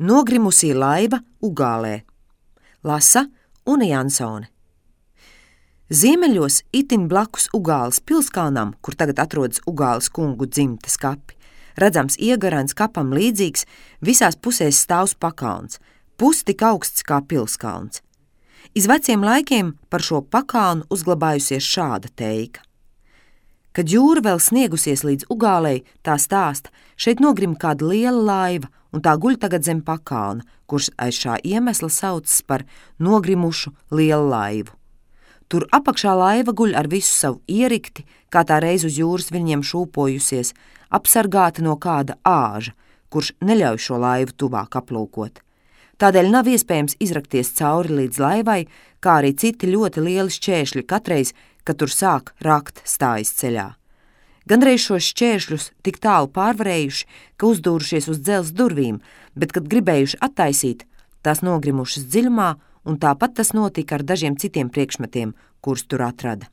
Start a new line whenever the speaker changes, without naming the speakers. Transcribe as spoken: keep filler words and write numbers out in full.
Nogrimusī laiva Ugālē. Lasa Una Jansone. Ziemeļos itin blakus Ugāles pilskalnam, kur tagad atrodas Ugāles kungu dzimtes kapi, redzams iegarains kapam līdzīgs, visās pusēs stāvs pakalns, pus tik augsts kā pilskalns. Iz veciem laikiem par šo pakalnu uzglabājusies šāda teika. Kad jūra vēl sniegusies līdz Ugālei, tā stāsta, šeit nogrim kāda liela laiva, un tā guļ tagad zem pakalna, kurš aiz šā iemesla saucas par nogrimušu lielu laivu. Tur apakšā laiva guļ ar visu savu ierikti, kā tā reiz uz jūras viņiem šūpojusies, apsargāta no kāda āža, kurš neļauj šo laivu tuvāk aplūkot. Tādēļ nav iespējams izrakties cauri līdz laivai, kā arī citi ļoti lieli šķēršļi katreiz, kad tur sāk rakt stājas ceļā. Gandreiz šos šķēršļus tik tālu pārvarējuši, ka uzdūrušies uz dzelzs durvīm, bet, kad gribējuši attaisīt, tās nogrimušas dziļumā, un tāpat tas notika ar dažiem citiem priekšmetiem, kurus tur atrada.